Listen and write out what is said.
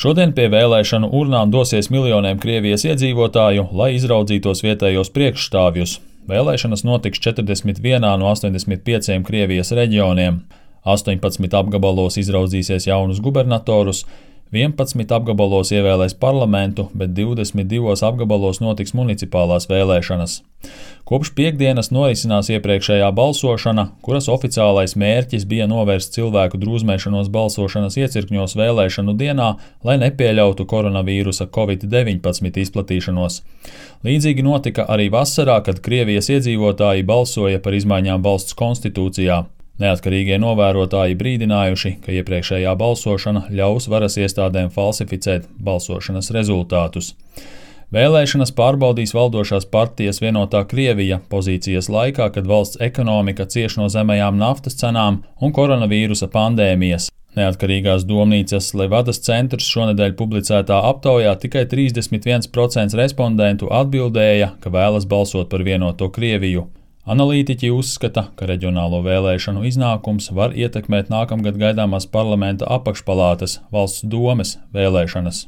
Šodien pie vēlēšanu urnām dosies miljoniem Krievijas iedzīvotāju, lai izraudzītos vietējos priekšstāvjus. Vēlēšanas notiks 41 no 85 Krievijas reģioniem. 18 apgabalos izraudzīsies jaunus gubernatorus, 11 apgabalos ievēlēs parlamentu, bet 22 apgabalos notiks municipālās vēlēšanas. Kopš piektdienas norisinās iepriekšējā balsošana, kuras oficiālais mērķis bija novērst cilvēku drūzmēšanos balsošanas iecirkņos vēlēšanu dienā, lai nepieļautu koronavīrusa Covid-19 izplatīšanos. Līdzīgi notika arī vasarā, kad Krievijas iedzīvotāji balsoja par izmaiņām valsts konstitūcijā. Neatkarīgie novērotāji brīdinājuši, ka iepriekšējā balsošana ļaus varas iestādēm falsificēt balsošanas rezultātus. Vēlēšanas pārbaudīs valdošās partijas Vienotā Krievija pozīcijas laikā, kad valsts ekonomika cieš no zemajām naftas cenām un koronavīrusa pandēmijas. Neatkarīgās domnīcas Levadas centrs šonedēļ publicētā aptaujā tikai 31% respondentu atbildēja, ka vēlas balsot par Vienoto Krieviju. Analītiķi uzskata, ka reģionālo vēlēšanu iznākums var ietekmēt nākamgad gaidāmās parlamenta apakšpalātas, valsts domes vēlēšanas.